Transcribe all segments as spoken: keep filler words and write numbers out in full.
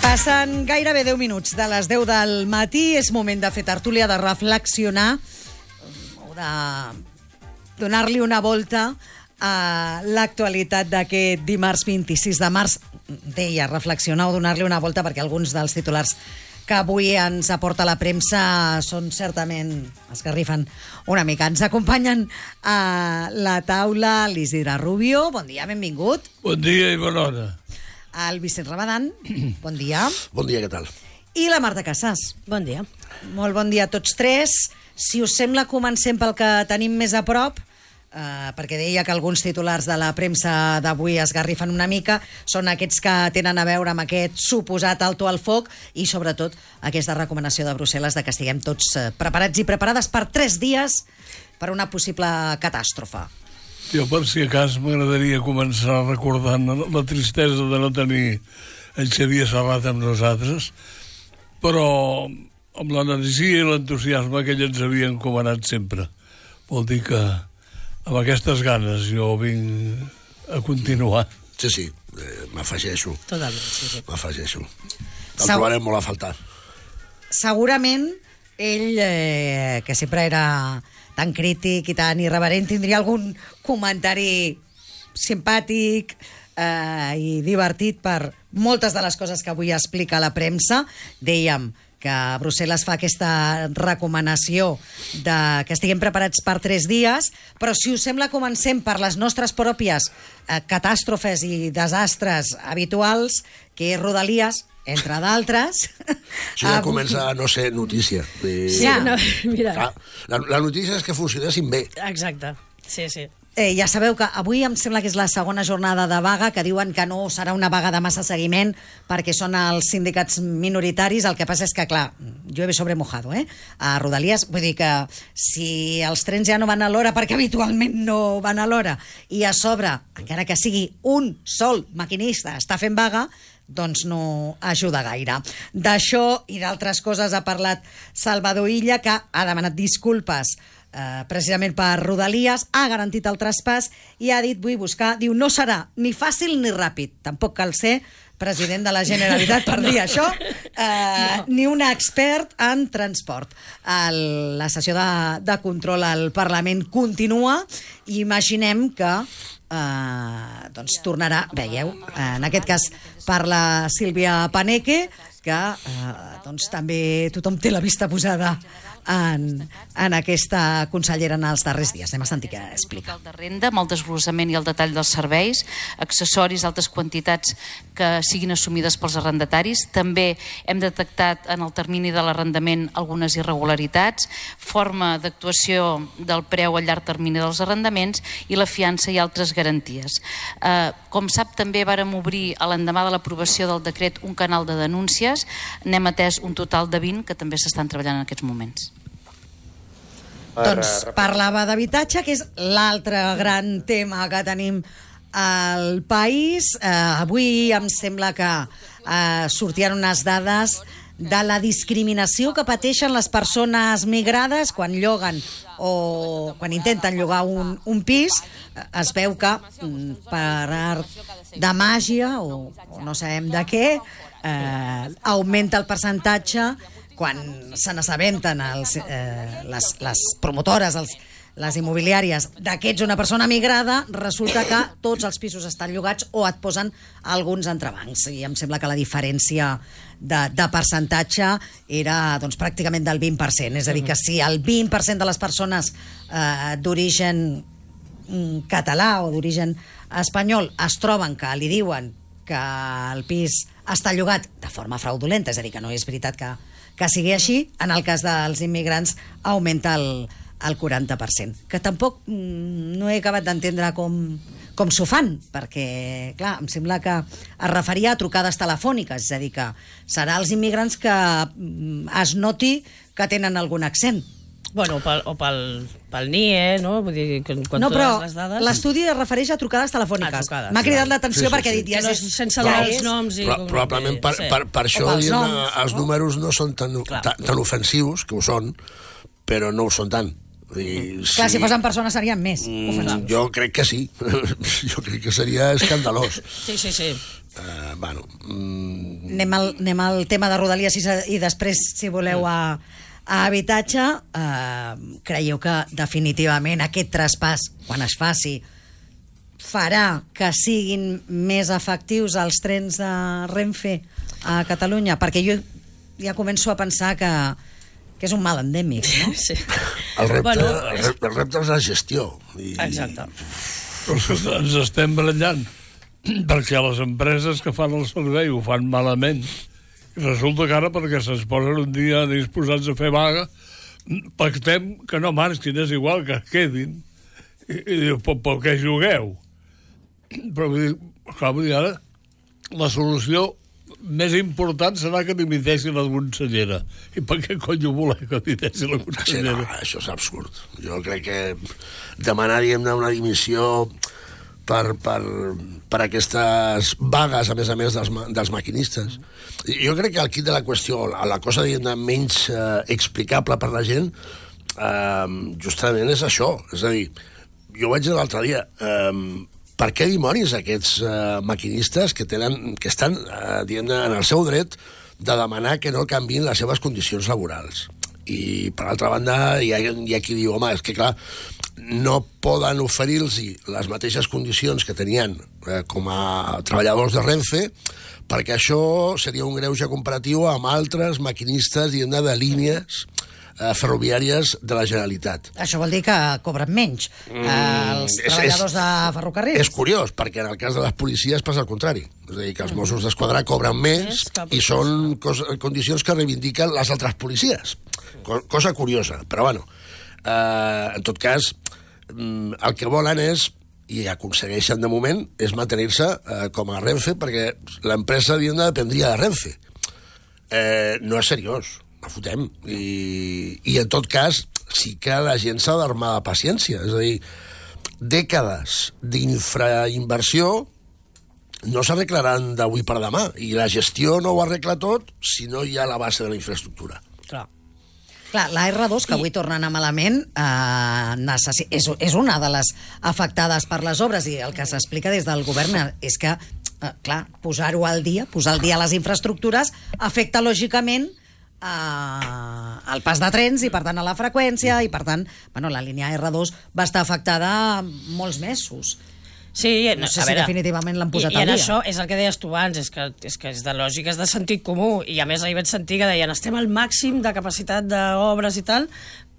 Passen gairebé deu minuts de les deu del matí. És moment de fer tertúlia, de reflexionar o de donar-li una volta a l'actualitat d'aquest dimarts vint-i-sis de març. Deia, reflexionar o donar-li una volta perquè alguns dels titulars que avui ens aporta la premsa són certament, esgarrifen una mica. Ens acompanyen a la taula l'Isidre Rubio. Bon dia, benvingut. Bon dia i bona hora. El Vicent Rabadán, bon dia. Bon dia, què tal? I la Marta Casas. Bon dia. Molt bon dia a tots tres. Si us sembla, comencem pel que tenim més a prop, eh, perquè deia que alguns titulars de la premsa d'avui esgarrifen una mica, són aquests que tenen a veure amb aquest suposat alto al foc i, sobretot, aquesta recomanació de Brussel·les de que estiguem tots eh, preparats i preparades per tres dies per una possible catàstrofe. Jo, per si a cas, m'agradaria començar recordant la tristesa de no tenir en Xavier Serrat amb nosaltres, però amb l'energia i l'entusiasme que ell ens havia encomanat sempre. Vol dir que amb aquestes ganes jo vinc a continuar. Sí, sí, eh, m'afegeixo. Totalment, sí, sí. M'afegeixo. El Segur- trobarem molt a faltar. Segurament ell, eh, que sempre era tan crític i tan irreverent, tindria algun comentari simpàtic eh, i divertit per moltes de les coses que avui explica la premsa. Dèiem que Brussel·les fa aquesta recomanació de que estiguem preparats per tres dies, però si us sembla comencem per les nostres pròpies eh, catàstrofes i desastres habituals, que és Rodalies, entre d'altres. Això ja comença a no ser notícia. I... Sí, no, mira. Clar, la, la notícia és que funcionessin bé. Exacte, sí, sí. Eh, ja sabeu que avui em sembla que és la segona jornada de vaga, que diuen que no serà una vaga de massa seguiment perquè són els sindicats minoritaris. El que passa és que, clar, llueve sobre mojado, eh? A Rodalies, vull dir que si els trens ja no van a l'hora, perquè habitualment no van a l'hora, i a sobre, encara que sigui un sol maquinista està fent vaga, doncs no ajuda gaire. D'això i d'altres coses ha parlat Salvador Illa, que ha demanat disculpes eh, precisament per Rodalies, ha garantit el traspàs i ha dit, vull buscar, diu, no serà ni fàcil ni ràpid. Tampoc cal ser president de la Generalitat per dir això, eh, no. ni un expert en transport. El, la sessió de, de control al Parlament continua i imaginem que Uh, doncs tornarà, veieu, en aquest cas parla Sílvia Paneque, que uh, doncs també tothom té la vista posada en, en aquesta consellera en els darrers dies. Anem a sentir què explica. El de renda, amb el desglossament i el detall dels serveis, accessoris, altes quantitats que siguin assumides pels arrendataris. També hem detectat en el termini de l'arrendament algunes irregularitats, forma d'actuació del preu a llarg termini dels arrendaments i la fiança i altres garanties. Eh, com sap, també vàrem obrir a l'endemà de l'aprovació del decret un canal de denúncies. N'hem atès un total de vint que també s'estan treballant en aquests moments. Doncs parlava d'habitatge, que és l'altre gran tema que tenim al país. Eh, avui em sembla que eh, sortien unes dades de la discriminació que pateixen les persones migrades quan lloguen o quan intenten llogar un, un pis. Es veu que per art de màgia o, o no sabem de què eh, augmenta el percentatge quan se n'assabenten els, eh, les, les promotores, els, les immobiliàries, d'aquests una persona migrada, resulta que tots els pisos estan llogats o et posen alguns entrebancs. I em sembla que la diferència de, de percentatge era doncs, pràcticament del vint per cent. És a dir, que si el vint per cent de les persones eh, d'origen mm, català o d'origen espanyol es troben que li diuen que el pis està llogat de forma fraudulenta, és a dir, que no és veritat que que sigui així, en el cas dels immigrants augmenta el, el quaranta per cent. Que tampoc mm, no he acabat d'entendre com, com s'ho fan, perquè, clar, em sembla que es referia a trucades telefòniques, és a dir, que serà els immigrants que es noti que tenen algun accent. Bueno, o pel, o pel, pel N I E, no? Vull dir, quan, quan no, però les dades... l'estudi es refereix a trucades telefòniques. M'ha cridat l'atenció sí, sí, perquè sí. ha dit... Ja no, és, sense ja els és, noms i... Però, probablement per, sí. per, per això pels diguem, noms, els no? números no són tan, Clar. tan, tan ofensius, que ho són, però no ho són tant. I, clar, si fossin persones serien més Mm, ofensius. jo crec que sí. Jo crec que seria escandalós. Sí, sí, sí. Uh, bueno, mm, Anem al, anem al tema de Rodalies i, i després, si voleu, a, a habitatge. Eh, creieu que definitivament aquest traspàs, quan es faci, farà que siguin més efectius els trens de Renfe a Catalunya? Perquè jo ja començo a pensar que, que és un mal endèmic, no? Sí. el, repte, Bueno, el, repte, el repte és la gestió. I, Exacte. Però és que ens estem barallant perquè les empreses que fan el servei ho fan malament i resulta que ara perquè se'ns posen un dia disposats a fer vaga pactem que no marxin, és igual que es quedin i, i diu, per, per què jugueu? Però vull dir, clar, vull dir, ara la solució més important serà que dimiteixi la consellera. I per què cony voler que dimiteixi la sí, consellera? no, això és absurd. Jo crec que demanaríem una dimissió per, per, per aquestes vagues, a més a més, dels, dels maquinistes. Jo crec que el quid de la qüestió, la cosa diguem, menys eh, explicable per la gent, eh, justament és això. És a dir, jo vaig dir l'altre dia, eh, per què dimonis aquests eh, maquinistes que, tenen, que estan eh, diguem, en el seu dret de demanar que no canviïn les seves condicions laborals? I, per altra banda, hi ha, hi ha qui diu, home, és que clar, no poden oferir-los les mateixes condicions que tenien eh, com a treballadors de Renfe, perquè això seria un greuge comparatiu amb altres maquinistes diguem, de línies eh, ferroviàries de la Generalitat. Això vol dir que cobren menys mm, els és, treballadors és, de ferrocarrils. És curiós, perquè en el cas de les policies passa el contrari. És a dir, que els Mossos d'Esquadra cobren més i són cos, condicions que reivindiquen les altres policies. Cosa curiosa, però bueno, eh, en tot cas, el que volen és, i aconsegueixen de moment, és mantenir-se eh, com a Renfe, perquè l'empresa dependria de Renfe. Eh, no és seriós, no fotem. I, I en tot cas, sí que la gent s'ha d'armar de paciència. És a dir, dècades d'infrainversió no s'arreglaran d'avui per demà, i la gestió no ho arregla tot si no hi ha la base de la infraestructura. Clar. Clar, la erra dos, que avui torna a anar malament, eh, necessi- és, és una de les afectades per les obres, i el que s'explica des del govern és que, eh, clar, posar-ho al dia, posar al dia les infraestructures, afecta lògicament eh, el pas de trens i, per tant, a la freqüència, i, per tant, bueno, la línia erra dos va estar afectada molts mesos. Sí, No sé a si veure, definitivament l'han posat i, i al en dia. això és el que deies tu abans, és que, és que és de lògica, és de sentit comú, i a més ahir vaig sentir que deien estem al màxim de capacitat d'obres i tal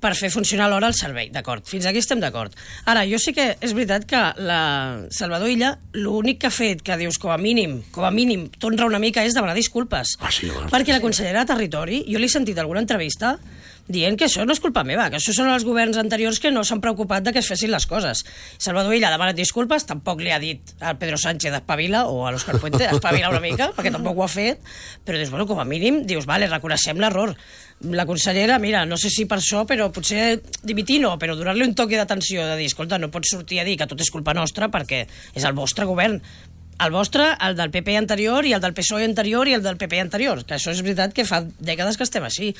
per fer funcionar l'hora el servei, d'acord, fins aquí estem d'acord. Ara, jo sí que és veritat que la Salvador Illa, l'únic que ha fet que dius com a mínim, com a mínim, t'honra una mica és demanar disculpes. Ah, sí, home. Perquè la consellera de Territori, jo l'he sentit en alguna entrevista dient que això no és culpa meva, que això són els governs anteriors que no s'han preocupat de que es fessin les coses. Salvador Illa ha demanat disculpes, tampoc li ha dit al Pedro Sánchez espavila o a l'Òscar Puente espavila una mica, perquè tampoc ho ha fet, però dius, bueno, com a mínim, dius, vale, reconeixem l'error. La consellera, mira, no sé si per això, però potser dimitir no, però donar-li un toque d'atenció, de dir, escolta, no pots sortir a dir que tot és culpa nostra perquè és el vostre govern. El vostre, el del P P anterior i el del P S O E anterior i el del P P anterior, que això és veritat que fa dècades que estem així.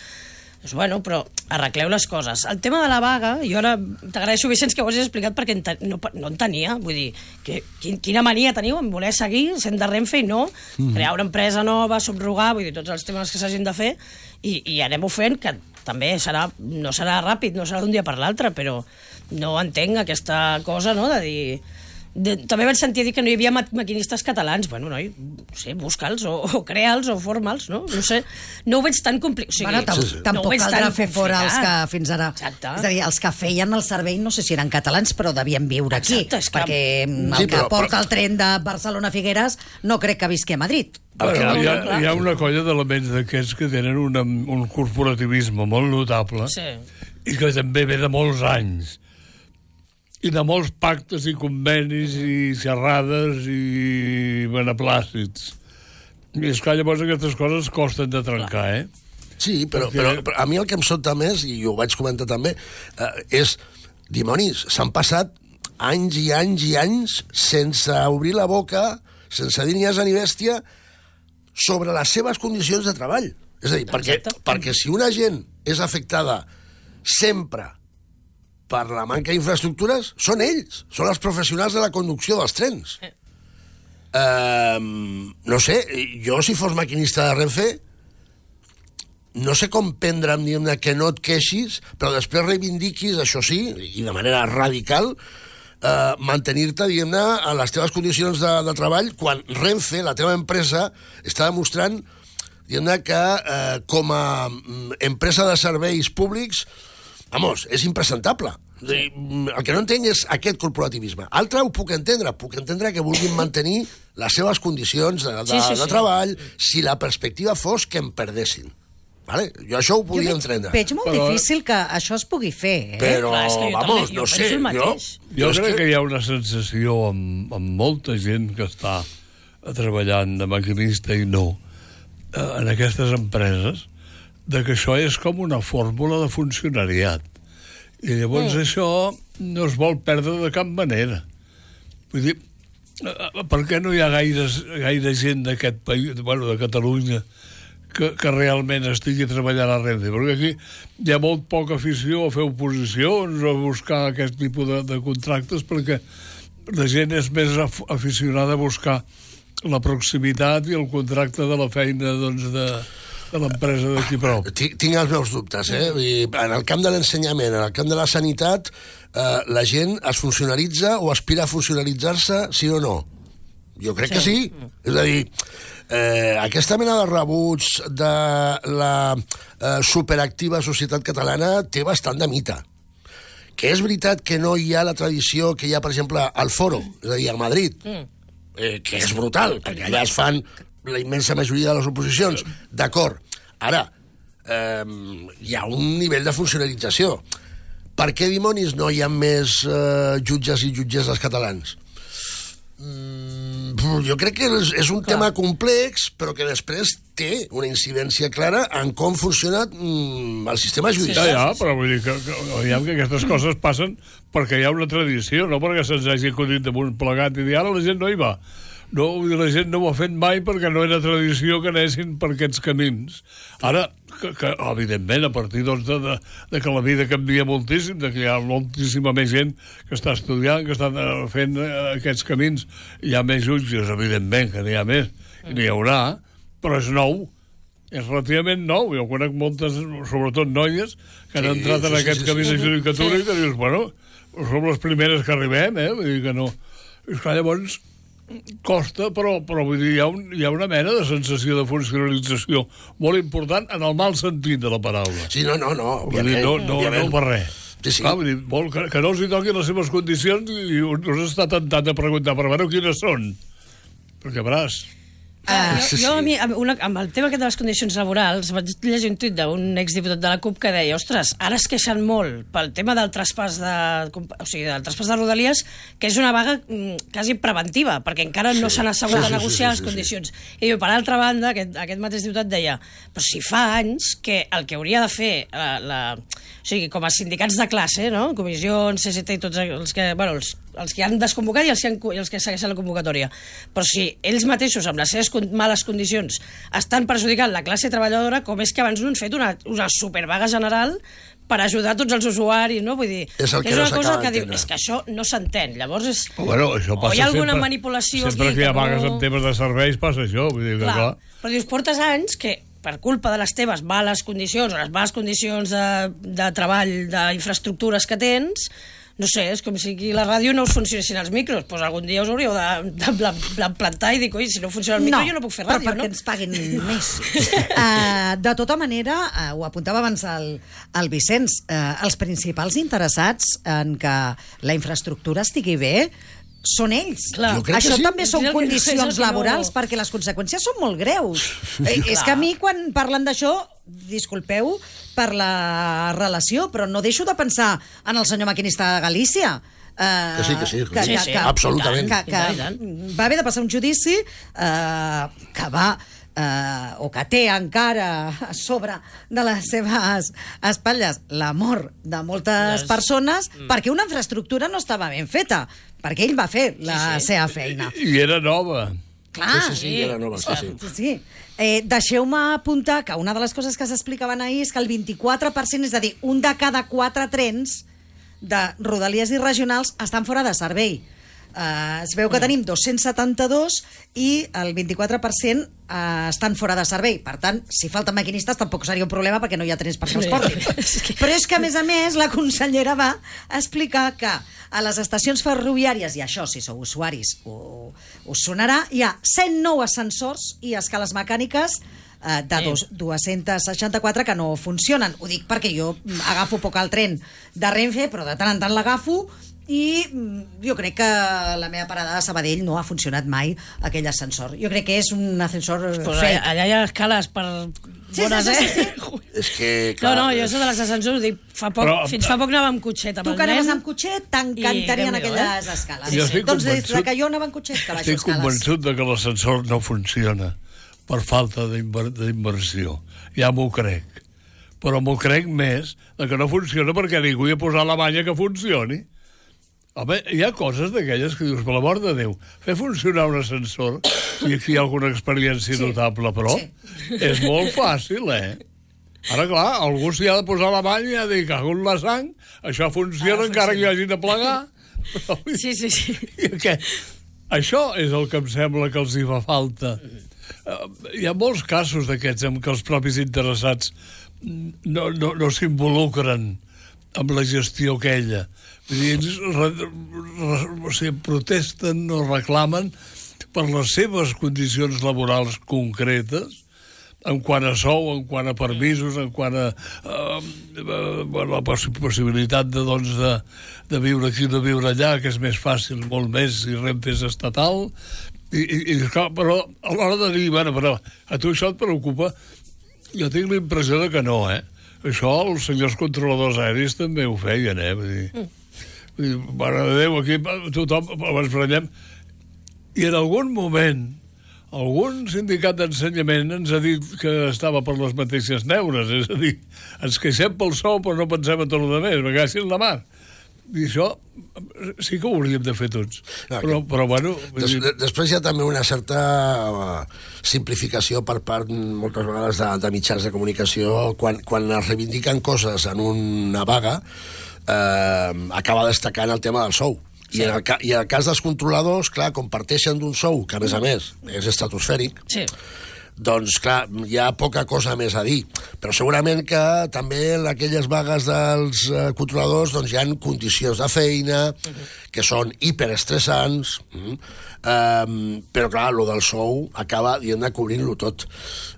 Doncs, bueno, però arregleu les coses. El tema de la vaga, jo ara t'agraeixo, Vicenç, que ho hagis explicat perquè ente no, no en tenia. Vull dir, que, quin, quina mania teniu en voler seguir sent de Renfe i no mm. crear una empresa nova, subrogar, vull dir, tots els temes que s'hagin de fer i, i anem-ho fent, que també serà, no serà ràpid, no serà d'un dia per l'altre, però no entenc aquesta cosa, no?, de dir... De, també vaig sentir dir que no hi havia ma maquinistes catalans. Bueno, noi, no sé, busca'ls o, o crea'ls o forma'ls, no? No sé, no ho veig tan complicat. O sigui, Bueno, tam sí, sí. tampoc no caldrà fer fora els que fins ara... Exacte. És a dir, els que feien el servei, no sé si eren catalans, però devien viure aquí. Exacte, és que- perquè el Sí, que però- porta però- el tren de Barcelona a Figueres no crec que visqui a Madrid. Bueno, no, hi, ha, no, clar. hi ha una colla d'elements d'aquests que tenen una, un corporativisme molt notable Sí. i que també ve de molts anys. i de molts pactes i convenis i xerrades i beneplàcits. I és que llavors aquestes coses costen de trencar, eh? Sí, però, Perquè... però, però a mi el que em sobta més, i ho vaig comentar també, eh, és, dimonis, s'han passat anys i anys i anys sense obrir la boca, sense dir ni asa ni bèstia, sobre les seves condicions de treball. És a dir, perquè, perquè si una gent és afectada sempre per la manca d'infraestructures, són ells, són els professionals de la conducció dels trens. Eh, no sé, jo si fos maquinista de Renfe, no sé com prendre'm, diguem-ne, que no et queixis, però després reivindiquis, això sí, i de manera radical, eh, mantenir-te, diguem-ne, a les teves condicions de, de treball, quan Renfe, la teva empresa, està demostrant, diguem-ne, que eh, com a empresa de serveis públics, vamos, és impresentable. Sí. El que no entenc és aquest corporativisme. Altre ho puc entendre, puc entendre que vulguin mantenir les seves condicions de, de, sí, sí, de treball, sí. Si la perspectiva fos que em perdessin. Vale? Jo això ho podia jo entendre. Veig molt però... difícil que això es pugui fer, eh? Però, Clar, és que jo vamos, també, jo no sé, jo... Jo crec que... que hi ha una sensació amb, amb molta gent que està treballant de maquinista i no en aquestes empreses, de que això és com una fórmula de funcionariat. I llavors mm. això no es vol perdre de cap manera. Vull dir, per què no hi ha gaires, gaire gent d'aquest país, bueno, de Catalunya, que, que realment estigui treballant a Renfe? Perquè aquí hi ha molt poca afició a fer oposicions o a buscar aquest tipus de, de contractes, perquè la gent és més af aficionada a buscar la proximitat i el contracte de la feina, doncs, de, de l'empresa d'aquí prou. Tinc, tinc els meus dubtes, eh? I en el camp de l'ensenyament, en el camp de la sanitat, eh, la gent es funcionalitza o aspira a funcionalitzar-se, sí o no? Jo crec sí. que sí. És a dir, eh, aquesta mena de rebuig de la eh, superactiva societat catalana té bastant de mite. Que és veritat que no hi ha la tradició que hi ha, per exemple, al Foro, és a dir, al Madrid, mm. eh, que és brutal, perquè allà es fan la immensa majoria de les oposicions. D'acord. Ara, eh, hi ha un nivell de funcionalització. Per què dimonis no hi ha més eh, jutges i jutgesses catalans? Mm, jo crec que és, és un Clar. tema complex, però que després té una incidència clara en com funciona mm, el sistema judicial. Ja, ja, però vull dir que, que, que, que aquestes coses passen perquè hi ha una tradició, no perquè se'ns hagi acudit damunt plegat i dir ara la gent no hi va. No, la gent no ho ha fet mai perquè no era tradició que anessin per aquests camins. Ara, que, que evidentment, a partir doncs, de, de, de que la vida canvia moltíssim, de que hi ha moltíssima més gent que està estudiant, que està fent aquests camins, hi ha més jutges, evidentment, que n'hi ha més, i n'hi haurà, però és nou, és relativament nou. Jo conec moltes, sobretot noies, que han sí, entrat sí, en aquest sí, camí sí, de judicatura sí. i que dius, bueno, som les primeres que arribem, eh? Vull dir que no... És que llavors... costa, però, però vull dir, hi ha, un, hi ha una mena de sensació de funcionalització molt important en el mal sentit de la paraula. Sí, no, no, no, òbviament. Dir, no, no, no per res. Sí, sí. Clar, vull dir, vol, que, que no els hi toquin les seves condicions i us està tentat de preguntar, però bueno, quines són? Perquè veràs... Uh, jo, jo a mi, amb, una, amb el tema aquest de les condicions laborals, vaig llegir un tuit d'un exdiputat de la CUP que deia, ostres, ara es queixen molt pel tema del traspàs de, o sigui, del traspàs de Rodalies, que és una vaga mm, quasi preventiva, perquè encara no s'han sí, assegut sí, a negociar sí, sí, les condicions. Sí, sí. I jo, per altra banda, aquest, aquest mateix diputat deia, però si fa anys que el que hauria de fer la, la, o sigui, com a sindicats de classe, no? Comissions, C S T i tots els que, bueno, els, els que han desconvocat i els que, han, i els que segueixen la convocatòria. Però si ells mateixos, amb les seves males condicions, estan perjudicant la classe treballadora, com és que abans no han fet una, una supervaga general per ajudar tots els usuaris, no? Vull dir, és, que és no una cosa que diu, és que això no s'entén. Llavors és... Bueno, això passa o hi ha alguna sempre, manipulació sempre aquí, que hi ha no... vagues en temes de serveis passa això, vull dir que clar. clar. Però dius, portes anys que per culpa de les teves males condicions o les males condicions de, de treball, d'infraestructures que tens, no sé, és com si aquí la ràdio no us funcionessin els micros, doncs algun dia us hauríeu de, de, de, de plantar i dir, oi, si no funciona el micro no, jo no puc fer ràdio, però perquè no? ens paguin més. uh, de tota manera, uh, ho apuntava abans el, el Vicenç, uh, els principals interessats en que la infraestructura estigui bé són ells. Clar. Això sí. també són que condicions no... laborals, perquè les conseqüències són molt greus. eh, és que a mi, quan parlen d'això, disculpeu per la relació, però no deixo de pensar en el senyor maquinista de Galícia. Uh, que sí, que sí, que, sí, que, sí, que, absolutament. Que, que, que va haver de passar un judici uh, que va eh, o que té encara a sobre de les seves espatlles la mort de moltes Les... persones mm. perquè una infraestructura no estava ben feta, perquè ell va fer la sí, sí. seva feina. I era nova. Clar, sí, sí, sí, era nova, sí, sí. sí, sí. Eh, deixeu-me apuntar que una de les coses que s'explicaven ahir és que el vint-i-quatre per cent, és a dir, un de cada quatre trens de rodalies i regionals estan fora de servei. Uh, es veu que tenim dos-cents setanta-dos i el vint-i-quatre per cent uh, estan fora de servei. Per tant, si falten maquinistes tampoc seria un problema perquè no hi ha trens per que els portin. Però és que, a més a més, la consellera va explicar que a les estacions ferroviàries, i això, si sou usuaris, ho, us sonarà, hi ha cent nou ascensors i escales mecàniques uh, de dos, dos-cents seixanta-quatre que no funcionen. Ho dic perquè jo agafo poc el tren de Renfe, però de tant en tant l'agafo, i jo crec que la meva parada de Sabadell no ha funcionat mai aquell ascensor. Jo crec que és un ascensor pues fake. Allà hi ha escales per Sí, bones, sí, sí, sí, eh? És que, No, clar... no, jo això de les ascensors ho dic, fa poc, Però- fins fa poc anava amb cotxet amb Tu el que anaves nen. amb cotxet, t'encantarien I Déu-n'hi-do, aquelles eh? escales. Jo estic Doncs des convençut- que jo anava amb cotxet, que baixo Estic escales. convençut de que l'ascensor no funciona per falta d'inver- d'inversió. Ja m'ho crec. Però m'ho crec més de que no funciona perquè ningú hi ha posat la banya que funcioni. Home, hi ha coses d'aquelles que dius, per l'amor de Déu, fer funcionar un ascensor, i aquí hi ha alguna experiència Sí. notable, però Sí. és molt fàcil, eh? Ara, clar, algú s'hi ha de posar la banya i ha de dir, cago en la sang, això funciona Ara encara que hi funciona. hagi de plegar. Però, Sí, sí, sí. I aquest, això és el que em sembla que els hi fa falta. Uh, hi ha molts casos d'aquests en què els propis interessats no, no, no s'involucren amb la gestió aquella. Vull dir, ells re, re, o sigui, protesten o reclamen per les seves condicions laborals concretes, en quant a sou, en quant a permisos, en quant a uh, uh, la poss possibilitat de, doncs, de, de viure aquí o de viure allà, que és més fàcil, molt més, si Renfe és estatal. I, i, i clar, però a l'hora de dir, bueno, però a tu això et preocupa? Jo tinc la impressió de que no, eh? Això els senyors controladors aèris també ho feien, eh? Vull dir, mm. vull dir, mare de Déu, aquí tothom ens prenyem. I en algun moment algun sindicat d'ensenyament ens ha dit que estava per les mateixes neures, és a dir, ens queixem pel sou però no pensem en tot el demés, me caixin la mar. I això sí que ho hauríem de fer tots. No, però, però, bueno... Des, de, després hi ha també una certa uh, simplificació per part, moltes vegades, de, de mitjans de comunicació. Quan, quan es reivindiquen coses en una vaga, uh, acaba destacant el tema del sou. Sí. I, en el, I en el cas dels controladors, clar, comparteixen d'un sou, que a més a més és estratosfèric, Sí. doncs, clar, hi ha poca cosa més a dir. Però segurament que també en aquelles vagues dels eh, controladors doncs, hi ha condicions de feina uh -huh. que són hiperestressants, uh -huh. um, però, clar, lo del sou acaba, diguem-ne, cobrint-lo tot.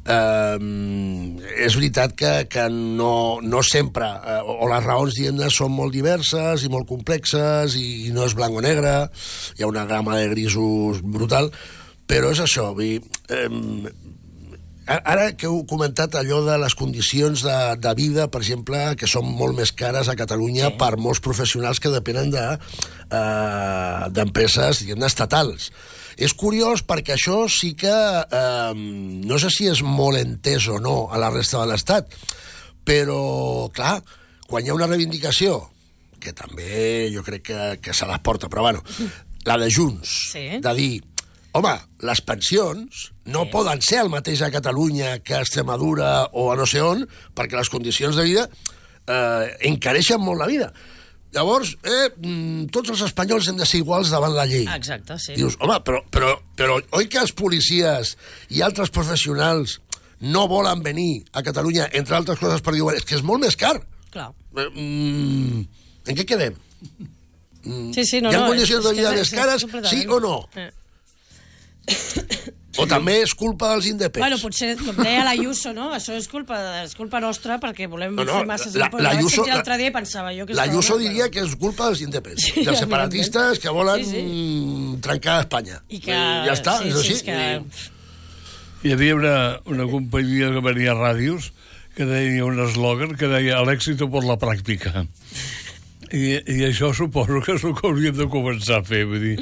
Um, és veritat que, que no, no sempre, eh, o les raons, diguem-ne, són molt diverses i molt complexes i, i no és blanc o negre, hi ha una gamma de grisos brutal, però és això, vull dir, eh, ara que heu comentat allò de les condicions de, de vida, per exemple, que són molt més cares a Catalunya sí. per molts professionals que depenen de, eh, d'empreses, diguem-ne, estatals. És curiós perquè això sí que eh, no sé si és molt entès o no a la resta de l'Estat, però, clar, quan hi ha una reivindicació, que també jo crec que, que se les porta, però bueno, la de Junts, Sí. de dir, home, les pensions no sí. poden ser el mateix a Catalunya que a Extremadura o a no sé on, perquè les condicions de vida eh, encareixen molt la vida. Llavors, eh, tots els espanyols hem de ser iguals davant la llei. Exacte, sí. Dius, home, però, però, però oi que els policies i altres professionals no volen venir a Catalunya, entre altres coses, per dir, és que és molt més car. Clar. Eh, mm, en què quedem? Sí, sí, no, Hi ha no, condicions és- de vida és- més és cares, completament. sí o no? Eh. O també és culpa dels independents? Bueno, potser, com deia l'Ayuso, no? Això és culpa, és culpa nostra perquè volem No, no, fer masses... la- impostos. la Vaig Ayuso- sentir l'altre dia i pensava jo que... La estava Ayuso molt, diria però- que és culpa dels independents, Sí, dels evidentment. separatistes que volen Sí, sí. mm, trencar Espanya. I que... I ja està, sí, és sí, així. és que... Hi havia una, una companyia que venia a ràdios que deia un eslògan que deia l'èxito per la pràctica. I, I això suposo que és el que hauríem de començar a fer, vull dir,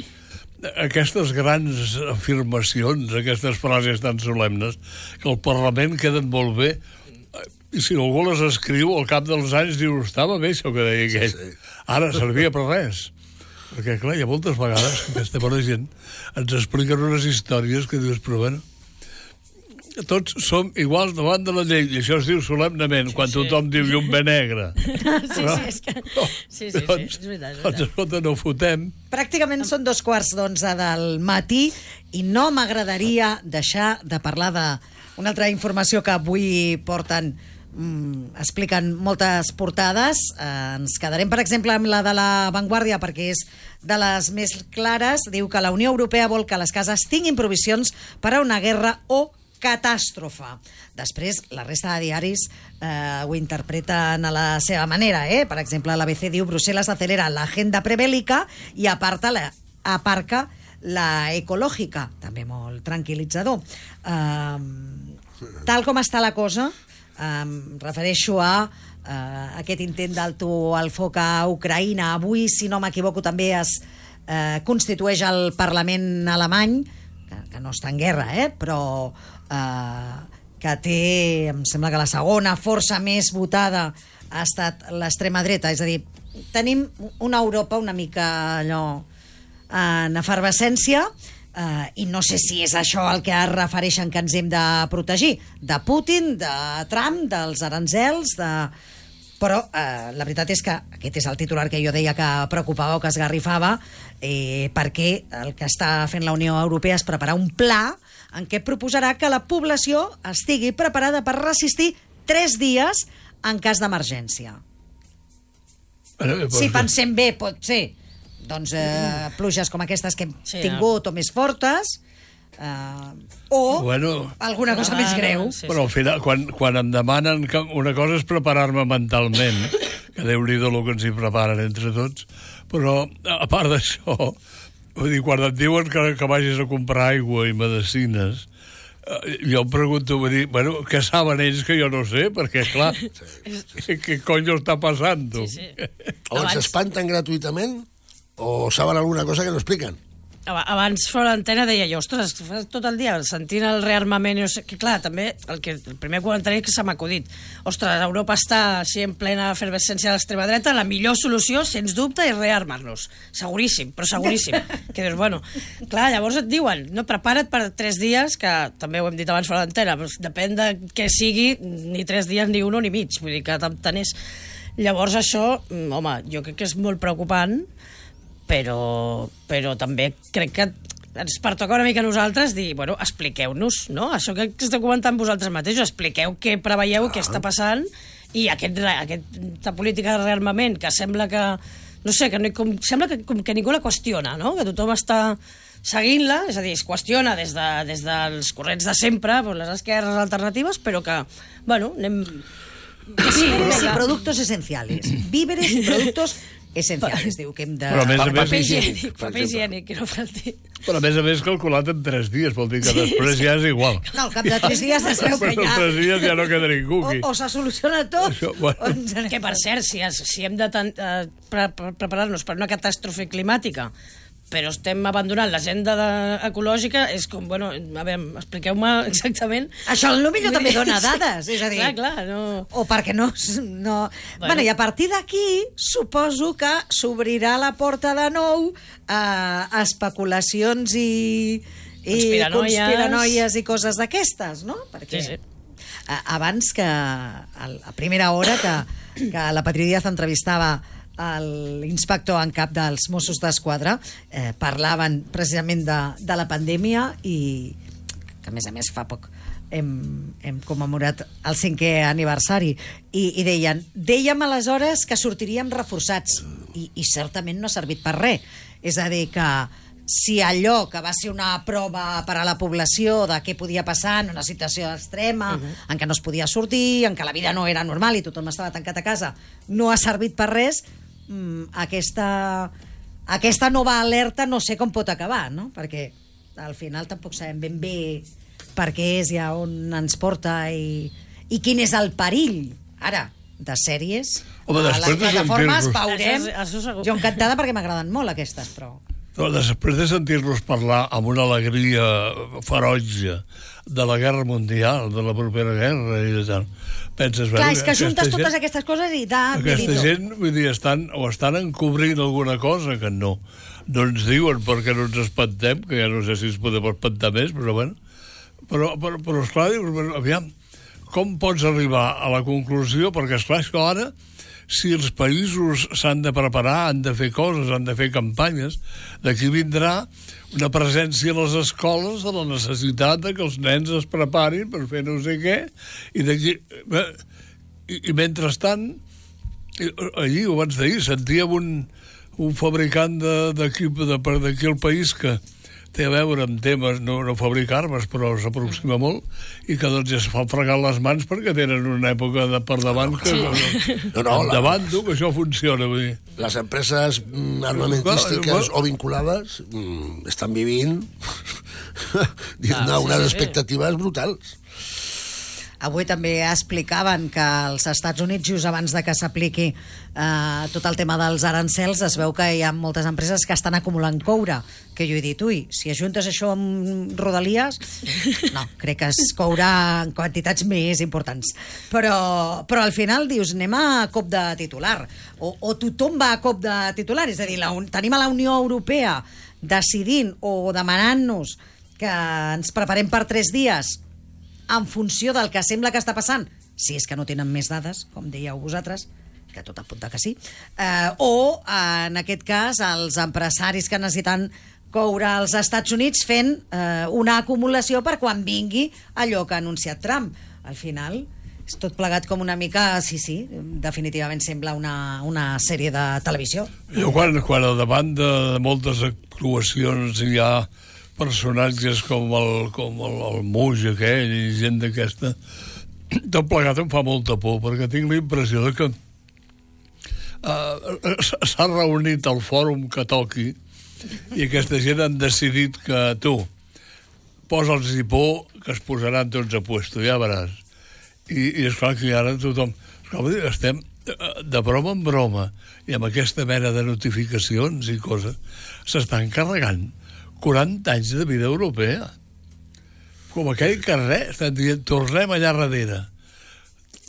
aquestes grans afirmacions, aquestes frases tan solemnes, que al Parlament queden molt bé, i si algú les escriu, al cap dels anys diu, estava bé això que deia aquell. Sí, sí. Ara servia per res. Perquè, clar, hi ha moltes vegades que aquesta bona gent ens expliquen unes històries que dius, però bueno, tots som iguals davant de la llei, i això es diu solemnament, sí, quan sí. tothom diu un bé negre. Sí, però, sí, és que... Sí, sí, doncs, sí, és veritat, és veritat. Doncs, escolta, no fotem. Pràcticament són dos quarts d'onze del matí i no m'agradaria deixar de parlar d'una altra informació que avui porten Mm, expliquen moltes portades. Eh, ens quedarem, per exemple, amb la de La Vanguardia perquè és de les més clares. Diu que la Unió Europea vol que les cases tinguin provisions per a una guerra o catàstrofe. Després, la resta de diaris eh, ho interpreten a la seva manera. Eh? Per exemple, l'A B C diu Brussel·les acelera l'agenda prebèl·lica i aparta la, aparca la ecològica. També molt tranquil·litzador. Eh, tal com està la cosa, em refereixo a uh, aquest intent d'alto al foc a Ucraïna. Avui, si no m'equivoco, també es uh, constitueix el Parlament alemany, que, que no està en guerra, eh? però uh, que té, em sembla que la segona força més votada ha estat l'extrema dreta. És a dir, tenim una Europa una mica allò en efervescència. Uh, i no sé si és això el que es refereixen que ens hem de protegir de Putin, de Trump, dels aranzels de... però uh, la veritat és que aquest és el titular que jo deia que preocupava o que esgarrifava, eh, perquè el que està fent la Unió Europea és preparar un pla en què proposarà que la població estigui preparada per resistir tres dies en cas d'emergència. Si pensem bé, pot ser doncs eh, pluges com aquestes que hem sí, tingut o més fortes eh, o bueno, alguna cosa ah, més greu. Sí, però al final, quan, quan em demanen que una cosa és preparar-me mentalment, que Déu-n'hi-do el que ens hi preparen entre tots, però a part d'això, vull dir, quan et diuen que, que vagis a comprar aigua i medicines, eh, jo em pregunto, vull dir, bueno, què saben ells que jo no sé? Perquè, clar, sí, sí. què coño està passant? Sí, sí. O ens espanten gratuïtament o saben alguna cosa que no expliquen. Abans fora l'antena deia jo, ostres, tot el dia sentint el rearmament, no sé, que clar, també el, que, el primer comentari que se m'ha acudit, ostres, Europa està així en plena efervescència de l'extrema dreta, la millor solució, sens dubte, és rearmar-los, seguríssim, però seguríssim, que dius, bueno, clar, llavors et diuen, no, prepara't per tres dies, que també ho hem dit abans fora l'antena, però depèn de què sigui, ni tres dies, ni un ni mig, vull dir que tant és. Llavors això, home, jo crec que és molt preocupant, però, però també crec que ens pertoca una mica a nosaltres dir, bueno, expliqueu-nos, no? Això que esteu comentant vosaltres mateixos, expliqueu què preveieu, ah. què està passant, i aquest, aquesta política de rearmament que sembla que, no sé, que no, com, sembla que, com que ningú la qüestiona, no? Que tothom està seguint-la, és a dir, es qüestiona des, de, des dels corrents de sempre, les esquerres alternatives, però que, bueno, anem... Víveres y productos esenciales. Víveres y productos esencials, diu que hem de... Però a més a més... Paper higiènic, paper higiènic, que no falti. Però a més a més calculat en tres dies, vol dir que sí, després ja és igual. No, al cap de tres dies es veu que ja... tres dies ja no queda ningú aquí. O, o se soluciona tot, Això, bueno. o... Que per cert, si, si hem de uh, pre pre preparar-nos per una catàstrofe climàtica, però estem abandonant l'agenda ecològica, és com, bueno, a veure, expliqueu-me exactament... Això potser també dona dades, és a dir... Clar, clar, no... O perquè no... no... Bueno. bueno, i a partir d'aquí, suposo que s'obrirà la porta de nou a especulacions i, i conspiranoies. conspiranoies i coses d'aquestes, no? Perquè sí, sí. abans que, a primera hora, que, que la Patri Díaz entrevistava l'inspector en cap dels Mossos d'Esquadra, eh, parlaven precisament de, de la pandèmia i que a més a més fa poc hem, hem commemorat el cinquè aniversari i, i deien, dèiem aleshores que sortiríem reforçats i, i certament no ha servit per res, és a dir que si allò que va ser una prova per a la població de què podia passar en una situació extrema, uh-huh. en què no es podia sortir, en què la vida no era normal i tothom estava tancat a casa, no ha servit per res, Aquesta, aquesta nova alerta no sé com pot acabar, no? Perquè al final tampoc sabem ben bé per què és i a on ens porta i, i quin és el perill. Ara, de sèries Home, a les després de plataformes sentir-los- veurem. Això, això segur. Jo encantada perquè m'agraden molt aquestes, però... Però després de sentir-los parlar amb una alegria ferotge de la guerra mundial, de la propera guerra i de tal, penses... Clar, bueno, és que juntes aquesta totes gent- aquestes coses i da, Aquesta Benito. gent, vull dir, estan, o estan encobrint alguna cosa que no. No ens diuen perquè no ens espantem, que ja no sé si ens podem espantar més, però bueno. Però, però, però esclar, dius, bueno, aviam, com pots arribar a la conclusió? Perquè, esclar, és que ara, si els països s'han de preparar, han de fer coses, han de fer campanyes, d'aquí vindrà una presència a les escoles de la necessitat de que els nens es preparin per fer no sé què, i d'aquí... I, i mentrestant, allí, ho abans d'ahir, sentíem un, un fabricant d'equip de, de, d'aquí al país que té a veure amb temes, no, no fabricar armes, però s'aproxima molt, i que doncs ja es fan fregar les mans perquè tenen una època de per davant que... Sí. No, no, la- endavant, tu, que això funciona, vull dir. Les empreses mm, armamentístiques o vinculades mm, estan vivint diguem-ne, Ah, sí, unes sí, sí. expectatives brutals. Avui també explicaven que als Estats Units, just abans de que s'apliqui eh, tot el tema dels arancels, es veu que hi ha moltes empreses que estan acumulant coure, que jo he dit, ui, si ajuntes això amb Rodalies, no, crec que es courà en quantitats més importants. Però, però al final dius, anem a cop de titular, o, o tothom va a cop de titular, és a dir, la, tenim a la Unió Europea decidint o demanant-nos que ens preparem per tres dies en funció del que sembla que està passant, si és que no tenen més dades, com dèieu vosaltres, que tot apunta que sí, eh, o, en aquest cas, els empresaris que necessiten coure als Estats Units fent eh, una acumulació per quan vingui allò que ha anunciat Trump. Al final, és tot plegat com una mica, sí, sí, definitivament sembla una, una sèrie de televisió. Jo quan, quan al davant de moltes actuacions hi ha personatges com el, com el, el Muix aquell i gent d'aquesta, tot plegat em fa molta por, perquè tinc la impressió de que uh, s'ha reunit el fòrum que toqui i aquesta gent han decidit que tu posa'ls i por que es posaran tots a puesto, ja veràs. I, i esclar que ara tothom... Esclar, estem de broma en broma i amb aquesta mena de notificacions i coses s'estan carregant quaranta anys de vida europea. Com aquell que res, estan dient, tornem allà darrere.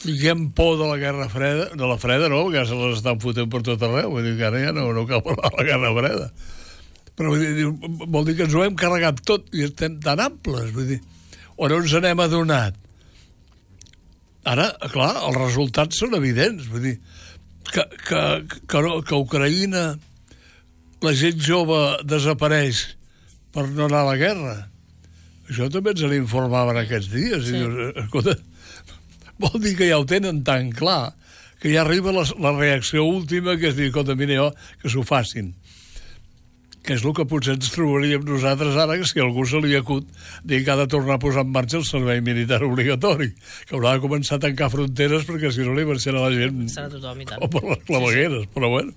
Fiquem por de la Guerra Freda, de la Freda no, perquè se les estan fotent per tot arreu, vull dir que ara ja no, no cal parlar de la Guerra Freda. Però vull dir, vol dir que ens ho hem carregat tot i estem tan amples, vull dir, o no ens n'hem adonat. Ara, clar, els resultats són evidents, vull dir, que, que, que, que a Ucraïna la gent jove desapareix per no anar a la guerra. Això també ens n'informaven aquests dies. Sí. I dius, escolta, vol dir que ja ho tenen tan clar que ja arriba la, la reacció última, que és dir, escolta, mira jo, que s'ho facin. Que és el que potser ens trobaríem nosaltres ara, que si algú se li acut dir que ha de tornar a posar en marxa el servei militar obligatori, que haurà de començar a tancar fronteres perquè si no li marxarà la gent Serà tothom i tant. o per les clavegueres, sí, sí. Però bueno.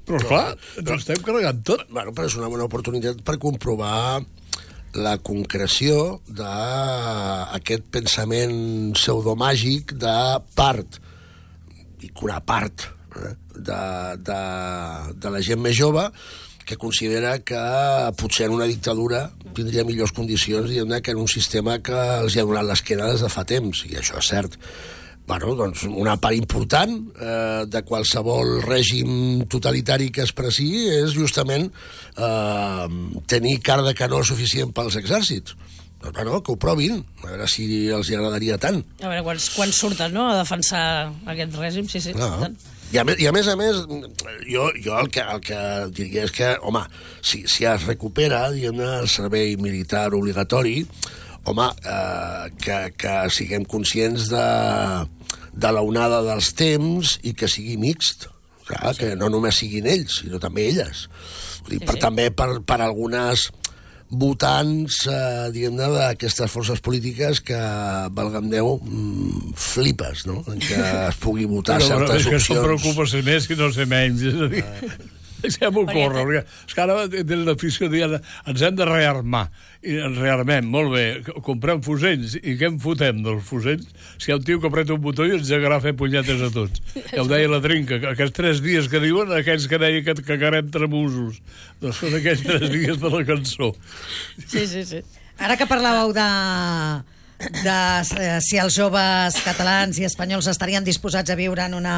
Però, clar, ens estem carregant tot. Bueno, però és una bona oportunitat per comprovar la concreció d'aquest pensament pseudomàgic de part, dic una part, eh, de, de, de la gent més jove que considera que potser en una dictadura tindria millors condicions diguem-ne, que en un sistema que els hi ha donat l'esquena des de fa temps, i això és cert. Bueno, doncs una part important eh, de qualsevol règim totalitari que es presi és justament eh, tenir car de canó suficient pels exèrcits. Doncs, bueno, que ho provin, a veure si els hi agradaria tant. A veure, quan, quan surten, no?, a defensar aquest règim, sí, sí. No. Tant. I a, més, I a més a més, jo, jo el, que, el que diria és que, home, si, si es recupera, diguem-ne, el servei militar obligatori, home, eh, que, que siguem conscients de, de l'onada dels temps i que sigui mixt. Clar, sí. Que no només siguin ells, sinó també elles. Vull dir, Sí, per, sí. també per, per algunes votants, eh, diguem-ne, d'aquestes forces polítiques que, valga'm Déu, mm, flipes, no?, en què es pugui votar Però, certes és que opcions. això preocupa ser més i no ser menys. És a dir, Deixem-ho córrer, perquè és que ara tenen l'afició dient ens hem de rearmar, i ens rearmem, molt bé, comprem fusells, i què en fotem dels fusells? Si hi ha un tio que apreta un botó i ens llegarà a fer punyetes a tots. Ja ho deia la Trinca, que aquests tres dies que diuen, aquells que deia que cagarem tremosos, doncs són aquells tres dies de la cançó. Sí, sí, sí. Ara que parlàveu de, de eh, si els joves catalans i espanyols estarien disposats a viure en una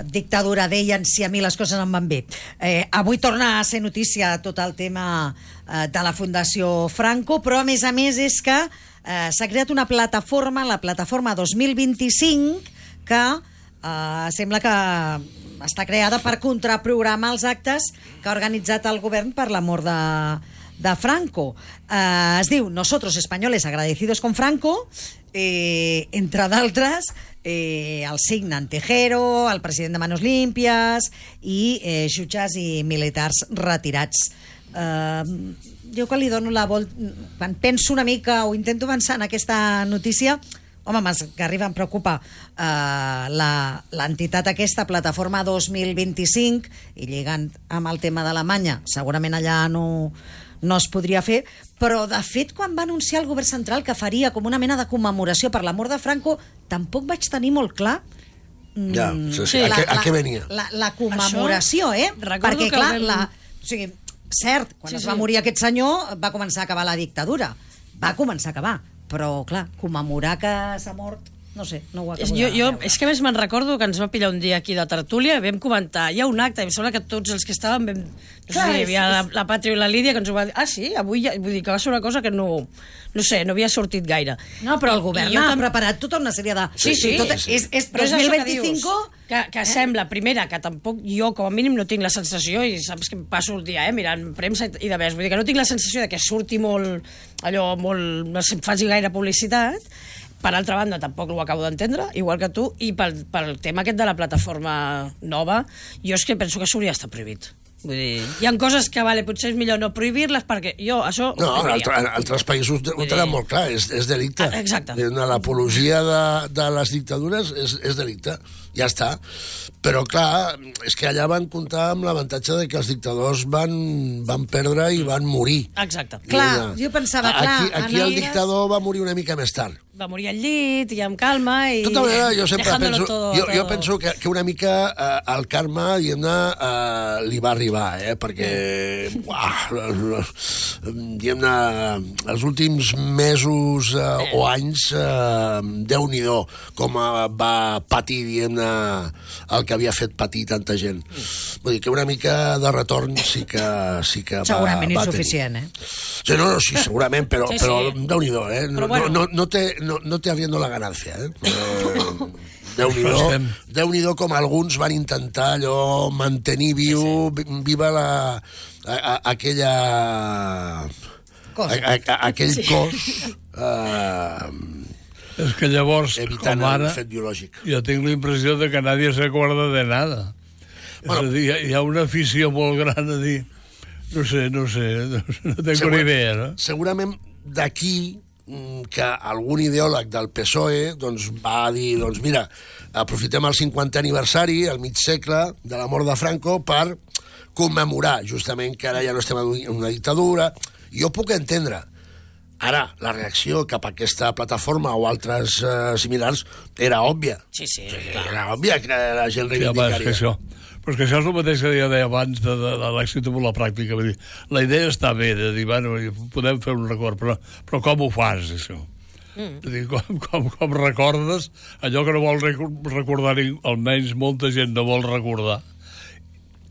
dictadura, deien si a mi les coses em van bé. Eh, avui torna a ser notícia tot el tema eh, de la Fundació Franco, però a més a més és que eh, s'ha creat una plataforma, la plataforma dos mil vint-i-cinc, que eh, sembla que està creada per contraprogramar els actes que ha organitzat el govern per la mort de, de Franco. Eh, es diu Nosotros Españoles Agradecidos con Franco, eh, entre d'altres, eh, el signen Tejero, el president de Manos Limpias i eh, jutges i militars retirats. Eh, jo que li dono la volta, quan penso una mica o intento avançar en aquesta notícia, home, m'esgarrifa, em preocupa eh, l'entitat aquesta, Plataforma dos mil vint-i-cinc, i lligant amb el tema d'Alemanya, segurament allà no, no es podria fer, però de fet quan va anunciar el govern central que faria com una mena de commemoració per la mort de Franco, tampoc vaig tenir molt clar ja, sí, sí. La, a, què, a què venia? La, la commemoració, eh? Perquè, clar, vam... la, o sigui, cert, quan sí, es va sí. morir aquest senyor va començar a acabar la dictadura, va començar a acabar, però, clar, commemorar que s'ha mort, no sé, no ho acabo jo, de jo, veure. És que a més me'n recordo que ens va pillar un dia aquí de tertúlia, vam comentar, hi ha un acte, i em sembla que tots els que estàvem vam... No sé, hi havia la, la Pàtria i la Lídia que ens ho va dir, ah sí, avui ja, vull dir que va ser una cosa que no, no sé, no havia sortit gaire. No, però el govern ha tam... preparat tota una sèrie de... Sí, sí. Tot, sí. És, és però dos mil vint-i-cinc... Que, que eh? Sembla, primera, que tampoc jo com a mínim no tinc la sensació, i saps que em passo el dia eh, mirant premsa i de ves, vull dir que no tinc la sensació de que surti molt, allò, molt, no sé, em faci gaire publicitat. Per altra banda, tampoc ho acabo d'entendre, igual que tu, i pel, pel tema aquest de la plataforma nova, jo és que penso que s'hauria d'estar prohibit. Vull dir, hi ha coses que, vale, potser és millor no prohibir-les, perquè jo això... No, en, altre, en altres països ho tenen molt clar, és, és delicte. Ah, exacte. L'apologia de, de les dictadures és, és delicte, ja està. Però, clar, és que allà van comptar amb l'avantatge de que els dictadors van, van perdre i van morir. Exacte. Clar, una... jo pensava, clar... Aquí, aquí el dictador va morir una mica més tard. Va morir al llit i amb calma i... Tota manera, jo sempre penso... Todo, jo, todo. jo penso que, que una mica eh, el karma, diguem-ne, eh, li va arribar, eh? Perquè, uah, diguem-ne, els últims mesos eh, o anys, eh, Déu-n'hi-do, com eh, va patir, diguem-ne, el que havia fet patir tanta gent. Vull dir que una mica de retorn sí que, sí que segurament va, va insuficient, tenir. eh? Sí, no, no, sí, segurament, però, sí, sí. però Déu-n'hi-do, eh? No, bueno. no, no, té, no, no té arriendo la ganancia, eh? Però... Déu-n'hi-do, Déu-n'hi-do com alguns van intentar allò mantenir viu, sí, sí. viva la, a, a, aquella cos. A, a, aquell sí. cos eh, és que llavors, evitant com ara, el fet biològic. Jo tinc la impressió de que nadie se acuerda de nada. Bueno, és a dir, hi ha una afició molt gran a dir, no sé, no sé, no tengo segur, ni idea, no? Segurament d'aquí que algun ideòleg del P S O E doncs, va dir, doncs mira, aprofitem el cinquantè aniversari, el mig segle de la mort de Franco, per commemorar justament que ara ja no estem en una dictadura. Jo puc entendre. Ara, la reacció cap a aquesta plataforma o altres eh, similars era òbvia. Sí, sí. Era òbvia que la gent reivindicaria. Sí, home, però és que això és el mateix que jo deia abans de, de, de l'èxit amb la pràctica. Vull dir, la idea està bé, de dir, bueno, podem fer un record, però, però com ho fas, això? Mm. Dir, com, com, com recordes allò que no vol recordar, almenys molta gent no vol recordar,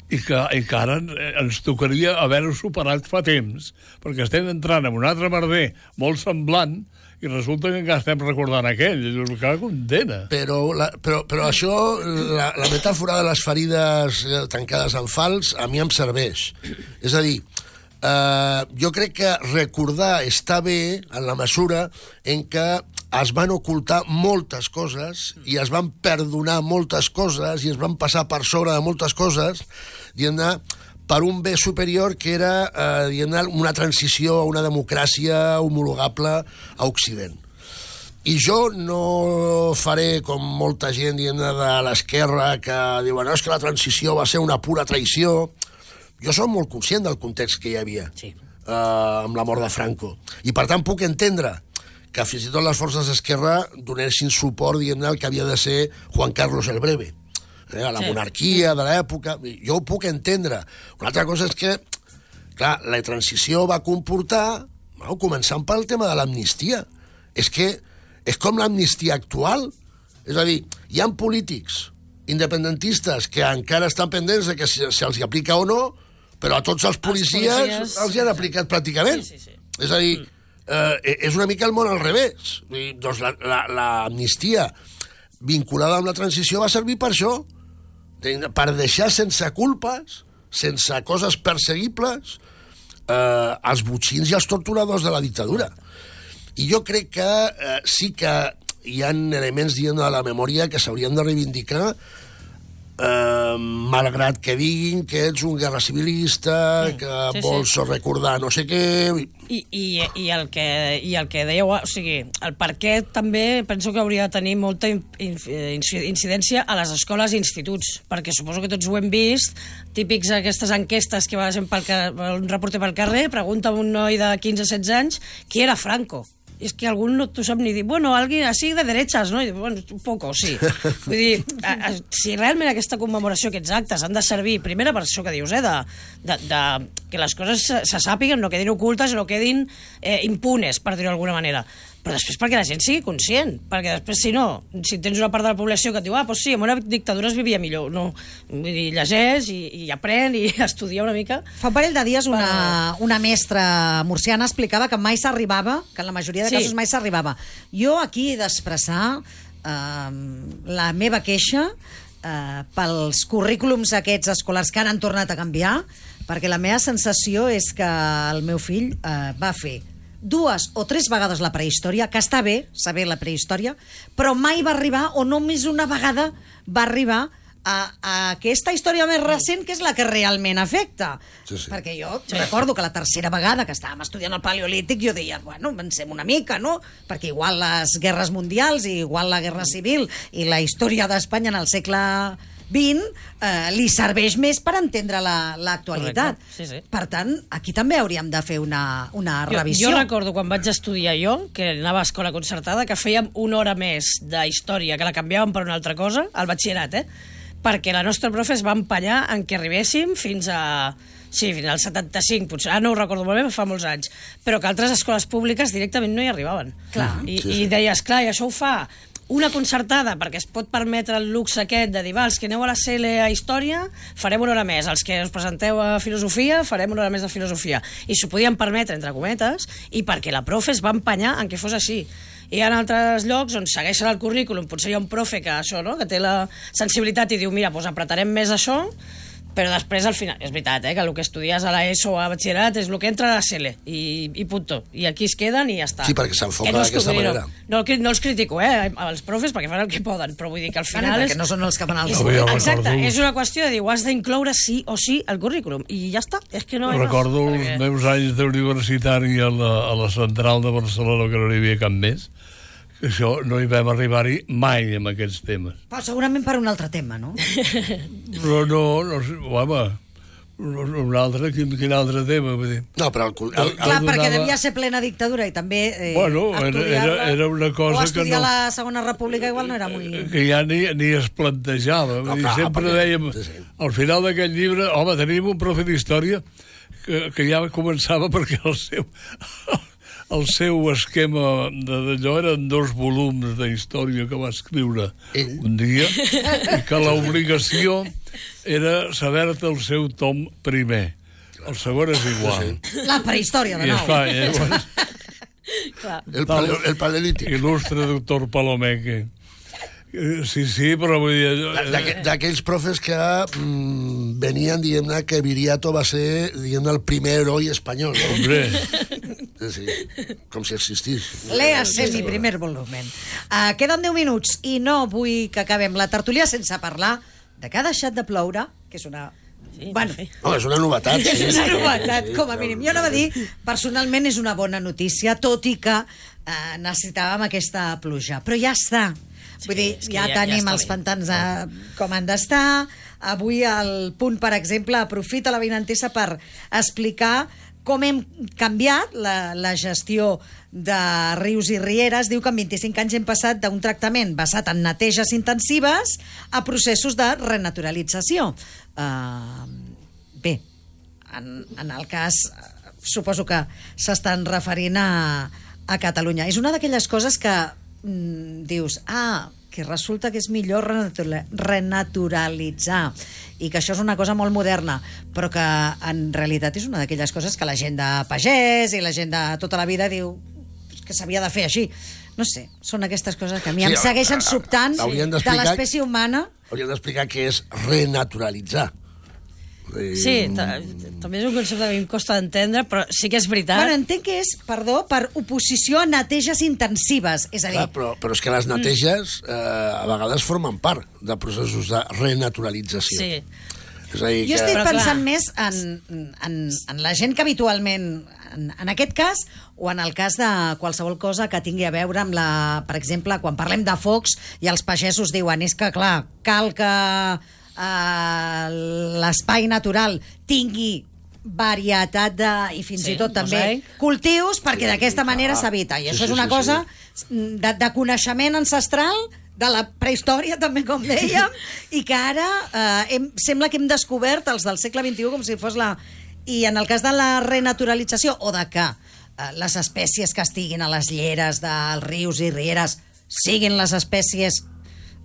i que, i que ara ens tocaria haver-ho superat fa temps, perquè estem entrant en un altre merder molt semblant, i resulta que encara estem recordant aquell, és que condena. Però, la, però, però això, la, la metàfora de les ferides tancades en fals, a mi em serveix. És a dir, eh, jo crec que recordar està bé en la mesura en què es van ocultar moltes coses i es van perdonar moltes coses i es van passar per sobre de moltes coses, diguem-ne, per un bé superior que era eh, una transició a una democràcia homologable a Occident. I jo no faré com molta gent dient de l'esquerra que diuen no, és que la transició va ser una pura traïció. jo soc molt conscient del context que hi havia Sí. eh, amb la mort de Franco. I, per tant, puc entendre que fins i tot les forces d'esquerra donessin suport, diguem-ne, al que havia de ser Juan Carlos el Breve, eh, a la Sí. monarquia de l'època. Jo ho puc entendre. Una altra cosa és que, clar, la transició va comportar, bueno, començant pel tema de l'amnistia. És que és com l'amnistia actual. És a dir, hi ha polítics independentistes que encara estan pendents de que si se'ls aplica o no, però a tots els policies, policies els hi han aplicat pràcticament. Sí, sí, sí. És a dir, eh, és una mica el món al revés. Vull dir, doncs l'amnistia la, la vinculada amb la transició va servir per això, per deixar sense culpes, sense coses perseguibles, eh, els botxins i els torturadors de la dictadura. I jo crec que eh, sí que hi ha elements, dient de la memòria que s'haurien de reivindicar, eh, malgrat que diguin que ets un guerra civilista, Sí, que sí, vols sí. recordar no sé què... I, i, i, el que, I el que dèieu, o sigui, el per què també penso que hauria de tenir molta in, in, incidència a les escoles i instituts, perquè suposo que tots ho hem vist, típics aquestes enquestes que va gent pel, un reporter pel carrer, pregunta a un noi de quinze a setze anys qui era Franco. És que algú no t'ho sap ni dir. Bueno, alguien así de derechas, no? I, bueno, un poco, sí. Vull dir, a, a, si realment aquesta commemoració, aquests actes, han de servir, primera per això que dius, eh, de, de, de que les coses se, se sàpiguen, no quedin ocultes, no quedin eh, impunes, per dir-ho d'alguna manera. Però després perquè la gent sigui conscient, perquè després, si no, si tens una part de la població que et diu, ah, doncs sí, en una dictadura es vivia millor. No, vull dir, llegeix i, i aprèn i estudia una mica. Fa un parell de dies una, una mestra murciana explicava que mai s'arribava, que en la majoria de Sí. casos mai s'arribava. Jo aquí he d'expressar eh, la meva queixa eh, pels currículums aquests escolars que ara han tornat a canviar, perquè la meva sensació és que el meu fill eh, va fer dues o tres vegades la prehistòria, que està bé saber la prehistòria, però mai va arribar, o només una vegada va arribar a, a aquesta història més recent, que és la que realment afecta. Sí, sí. Perquè jo sí. recordo que la tercera vegada que estàvem estudiant el paleolític jo deia, bueno, avancem una mica, no? Perquè igual les guerres mundials i igual la guerra civil i la història d'Espanya en el segle vint eh, li serveix més per entendre l'actualitat. La, sí, sí. Per tant, aquí també hauríem de fer una, una revisió. Jo, jo recordo quan vaig estudiar jo, que anava a escola concertada, que fèiem una hora més de història, que la canviàvem per una altra cosa, al batxillerat, eh? Perquè la nostra profe es va empallar en que arribéssim fins a... Sí, fins al setanta-cinc, potser. Ah, no ho recordo molt bé, fa molts anys. Però que altres escoles públiques directament no hi arribaven. Clar. I, Sí, sí. i deies, clar, i això ho fa una concertada, perquè es pot permetre el luxe aquest de dir, va, els que aneu a la C L a Història, farem una hora més. Els que us presenteu a Filosofia, farem una hora més de Filosofia. I s'ho podien permetre, entre cometes, i perquè la profe es va empanyar en que fos així. I hi ha altres llocs on segueixen el currículum, potser hi ha un profe que això, no?, que té la sensibilitat i diu, mira, doncs apretarem més això, però després al final, és veritat, eh, que el que estudies a l'ESO o a batxillerat és el que entra a la C L i, i punto, i aquí es queden i ja està. Sí, perquè s'enfoca Que no es- d'aquesta vull dir, manera. No, no, no els critico, eh, als profes, perquè fan el que poden, però vull dir que al Bueno, final perquè no són els que fan el és, No, jo exacte, recordo- és una qüestió de dir, ho has d'incloure sí o sí al currículum, i ja està, és que no hi ha Recordo més, els perquè- meus anys d'universitari a, la, a la central de Barcelona, que no hi havia cap més, que això no hi vam arribar-hi mai amb aquests temes. Però segurament per un altre tema, no? Però no, no sé, home, un altre, quin, quin altre tema, vull dir. No, però el, el, el, Clar, donava- perquè devia ser plena dictadura i també eh, Bueno, era- estudiar-la- era- era una cosa o que estudiar no- la Segona República igual no era molt... que ja ni, ni es plantejava. No, Vull dir, clar, sempre perquè- dèiem, sí, sí. al final d'aquest llibre, home, tenim un profe d'història que, que ja començava perquè el seu, el seu esquema de- d'allò eren dos volums de història que va escriure Ell? un dia i que l'obligació era saber-te el seu tom primer. El segon és igual. La prehistòria, de I nou. esclar, llavors, Clar. el, paleo, el paleolític. il·lustre doctor Palomeque. Eh, Sí, sí, però vull dir... allò- D'aqu- D'aquells profes que mm, venien dient que Viriato va ser dient el primer heroi espanyol. No? Hombre, Sí, sí, com si existís. Léase mi primer volumen. Uh, queden deu minuts i no vull que acabem la tertúlia sense parlar de que ha deixat de ploure, que és una... Sí, bueno, sí. No, és una novetat. Sí, és una sí, novetat, sí, com a clar. mínim. Jo anava a dir, personalment és una bona notícia, tot i que eh, necessitàvem aquesta pluja. Però ja està. Vull dir, és que ja, ja- ja tenim està els bé. pantans eh, com han d'estar, avui el Punt, per exemple, aprofita la Avinentesa per explicar com hem canviat la, la gestió de rius i rieres. Diu que en vint-i-cinc anys hem passat d'un tractament basat en neteges intensives a processos de renaturalització. Uh, bé, en, en el cas, suposo que s'estan referint a, a Catalunya. És una d'aquelles coses que mm, dius, ah, que resulta que és millor renaturalitzar i que això és una cosa molt moderna, però que en realitat és una d'aquelles coses que la gent de pagès i la gent de tota la vida diu que s'havia de fer així. No sé, són aquestes coses que a mi sí, em segueixen sobtant de l'espècie humana. Hauríem d'explicar què és renaturalitzar. Sí, també és un concepte que a mi em costa d'entendre, però sí que és veritat. Bueno, entenc que és, perdó, per oposició a neteges intensives, és a dir... Clar, però, però és que les neteges eh, a vegades formen part de processos de renaturalització. Sí. És a dir, jo que... estic però pensant clar. més en, en, en la gent que habitualment, en, en aquest cas, o en el cas de qualsevol cosa que tingui a veure amb la... Per exemple, quan parlem de focs i els pagesos diuen, és que, clar, cal que... Uh, l'espai natural tingui varietat de, i fins sí, i tot també mosaic. Cultius, perquè sí, d'aquesta manera s'evita. I sí, això sí, és una sí, cosa sí. De, de coneixement ancestral de la prehistòria, també, com dèiem, i que ara eh, hem, sembla que hem descobert els del segle vint-i-u com si fos la... I en el cas de la renaturalització, o de que eh, les espècies que estiguin a les lleres dels rius i rieres siguin les espècies...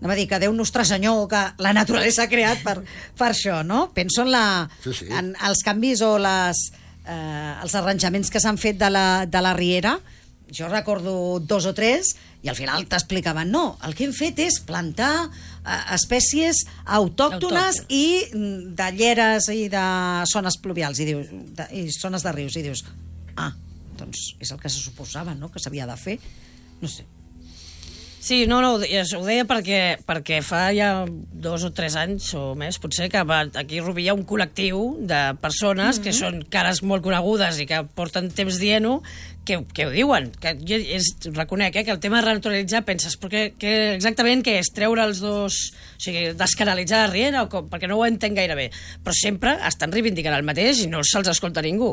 Anem a dir que Déu nostre senyor, que la naturalesa ha creat per, per això, no? Penso en, la, sí, sí. en els canvis o les, eh, els arranjaments que s'han fet de la, de la riera. Jo recordo dos o tres i al final t'explicaven, no, el que hem fet és plantar eh, espècies autòctones Autòcton. i de lleres i de zones pluvials i, dius, de, i zones de rius. I dius, ah, doncs és el que se suposava, no?, que s'havia de fer. No sé. Sí, no, no, ho deia perquè, perquè fa ja dos o tres anys o més, potser, que va, aquí a Rubí hi ha un col·lectiu de persones mm-hmm. que són cares molt conegudes i que porten temps dient-ho, que, que ho diuen. Que jo és, reconec eh, que el tema de renaturalitzar, penses, perquè, que exactament què és? Treure els dos... O sigui, descanalitzar la riera o com? Perquè no ho entenc gaire bé. Però sempre estan reivindicant el mateix i no se'ls escolta ningú.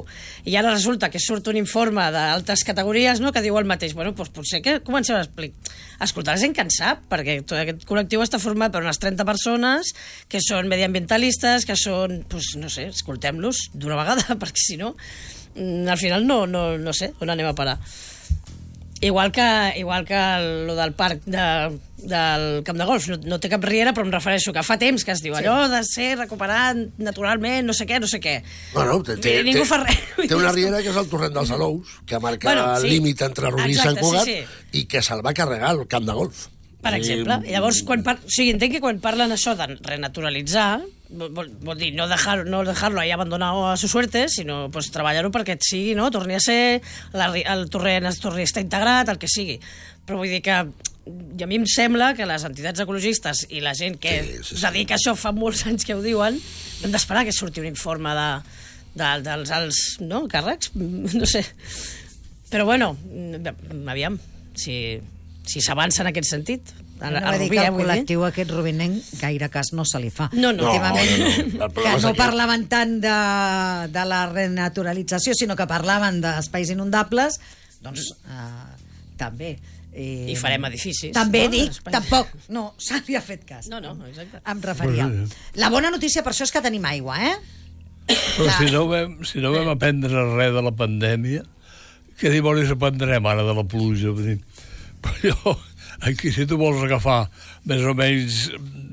I ara resulta que surt un informe d'altres categories, no?, que diu el mateix. Bueno, doncs potser que comencem a explicar... escoltar la gent que en sap, perquè tot aquest col·lectiu està format per unes trenta persones que són mediambientalistes, que són, doncs, no sé, escoltem-los d'una vegada, perquè si no, al final no, no, no sé on anem a parar. Igual que, igual que lo del parc de, del Camp de Golf, no, no té cap riera, però em refereixo que fa temps que es diu sí. allò de ser recuperat naturalment, no sé què, no sé què. Bueno, té, té, ningú té, fa res. Té una riera que és el torrent dels Alous, que marca bueno, sí. el límit entre Rubí i Sant Cugat, sí, sí. i que se'l va carregar al Camp de Golf. Per exemple. I llavors, quan par... o sigui, entenc que quan parlen això de renaturalitzar, vol, vol dir no dejar, no dejar-lo ahí abandonado a su suerte, sinó pues, treballar-ho perquè et sigui, no? Torni a ser, la, el torrent es torni a estar integrat, el que sigui. Però vull dir que i a mi em sembla que les entitats ecologistes i la gent que sí, sí, sí. dedica a això fa molts anys que ho diuen, hem d'esperar que surti un informe de, de, dels alts no, càrrecs, no sé. Però bueno, aviam, si... si s'avança en aquest sentit. A, no, a Rubí, que el col·lectiu dir? aquest rubinenc gaire cas no se li fa. No, no. Últimament, no, no, no. que no parlaven tant de, de la renaturalització, sinó que parlaven d'espais inundables, doncs eh, també. Eh, I farem edificis. També no? dic, tampoc, no, se li ha fet cas. No, no, exacte. Em referia. La bona notícia per això és que tenim aigua, eh? Però si no vam, si no vam aprendre res de la pandèmia, què dimonis aprendrem ara de la pluja? Vull dir, però jo, aquí si tu vols agafar més o menys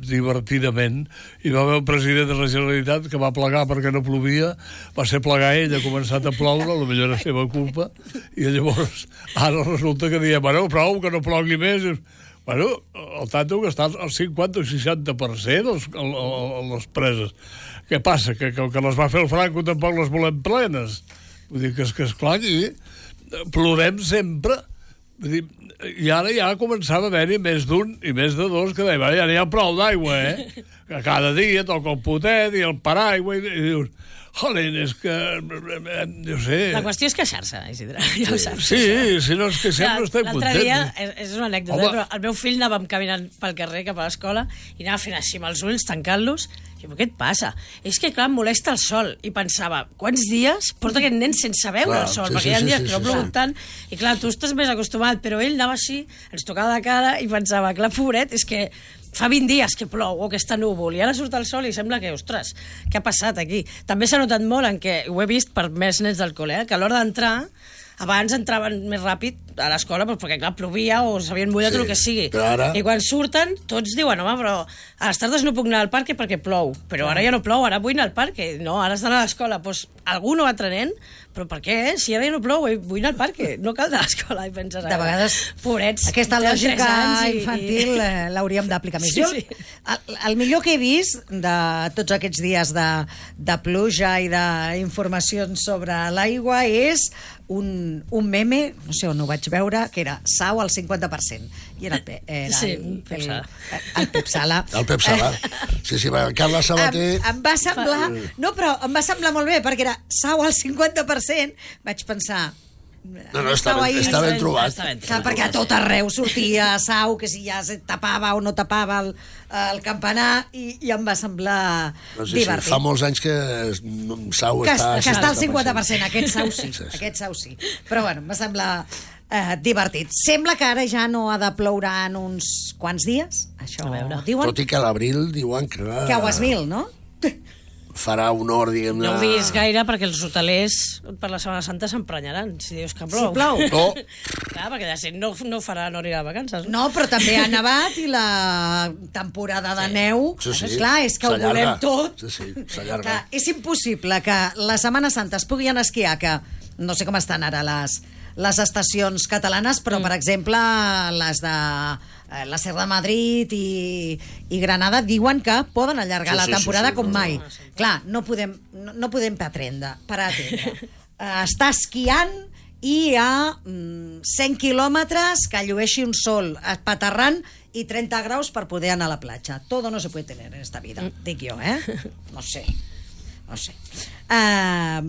divertidament, hi va haver un president de la Generalitat que va plegar perquè no plovia, va ser plegar ell, ha començat a ploure, potser era seva culpa, i llavors ara resulta que diem, bueno, prou, que no plogui més. Bueno, el tanto que està al cinquanta o seixanta per cent les, les preses. Què passa? Que, que, que les va fer el Franco tampoc les volem plenes. Vull dir que, és que esclar, aquí plorem sempre. Vull dir, i ara ja començava a haver-hi més d'un i més de dos que deia, ja n'hi ha prou d'aigua, eh? Que cada dia toca el potet i el paraigua i, i dius, jolín, és que... no sé... La qüestió és queixar-se, Isidre. Ja ho saps. Sí, si no és que sempre estem contents. L'altre dia, és, és una anècdota, Home. però el meu fill anàvem caminant pel carrer cap a l'escola i anava fent així amb els ulls, tancant-los, i Però què et passa? És que, clar, em molesta el sol. I pensava, quants dies porta aquest nen sense veure Clar, el sol? sí, Perquè sí, hi ha sí, dies sí, que no ha sí, plogut sí. tant. I clar, tu estàs més acostumat, però ell anava així, ens tocava de cara i pensava, clar, pobret, és que fa vint dies que plou o que està núvol i ara surt el sol i sembla que, ostres, què ha passat aquí? També s'ha notat molt en què, ho he vist per més nens del col·le, eh, que a l'hora d'entrar abans entraven més ràpid a l'escola perquè, clar, plovia o s'havien mullat Sí, o el que sigui. però ara- I quan surten, tots diuen, home, però a les tardes no puc anar al parc perquè plou. Però ara ja no plou, ara vull anar al parc. No, ara has d'anar a l'escola. Doncs algú no va trenent, però per què? Si ara ja no plou, vull anar al parc. No cal anar a l'escola. I penses, De vegades, pobrets, aquesta tenen lògica tres anys i- infantil eh, l'hauríem d'aplicar més. Sí, Jo, sí. el, el millor que he vist de tots aquests dies de, de pluja i d'informacions sobre l'aigua és un, un meme, no sé on ho vaig veure, que era Sau al cinquanta per cent. I era, el, Pe- era Sí, el, Pep el, Sala. el Pep Sala. El Pep Sala. Sí, sí, el Carles Sabater... Em, em va semblar... No, però em va semblar molt bé, perquè era Sau al cinquanta per cent. Vaig pensar... No, no, està Sau ben, ahir- està ben trobat. Està ben Clar, perquè a tot arreu sortia Sau, que si ja se tapava o no tapava el, el campanar, i, i em va semblar No sé, sí, divertit. fa molts anys que no, Sau que, està... que està al cinquanta per cent, aquest Sau sí, Sí, sí. aquest Sau sí. Però bueno, em va semblar eh, divertit. Sembla que ara ja no ha de ploure en uns quants dies, això A veure. diuen, Tot i que a l'abril diuen que... que ho has mil, no? Farà honor, diguem-ne... No ho vist gaire perquè els hotelers per la Setmana Santa s'emprenyaran, si dius que plou. Si plou. No, Clar, perquè de no, no farà no anirà de vacances. No, però també ha nevat i la temporada de neu, sí, sí. esclar, és que ho S'allarga. volem tot. Sí, sí, s'allarga. Clar, és impossible que la Setmana Santa es pugui anar a esquiar, que no sé com estan ara les, les estacions catalanes, però, mm. per exemple, les de eh, la Serra de Madrid i, i Granada diuen que poden allargar Sí, la sí, sí, temporada sí, com no, mai. no, Clar, no podem, no, no podem pretendre, per atendre. Uh, està esquiant i hi ha mm, cent quilòmetres que llueixi un sol espaterrant i trenta graus per poder anar a la platja. Todo no se puede tener en esta vida, dic jo, eh? No sé, no sé. Uh,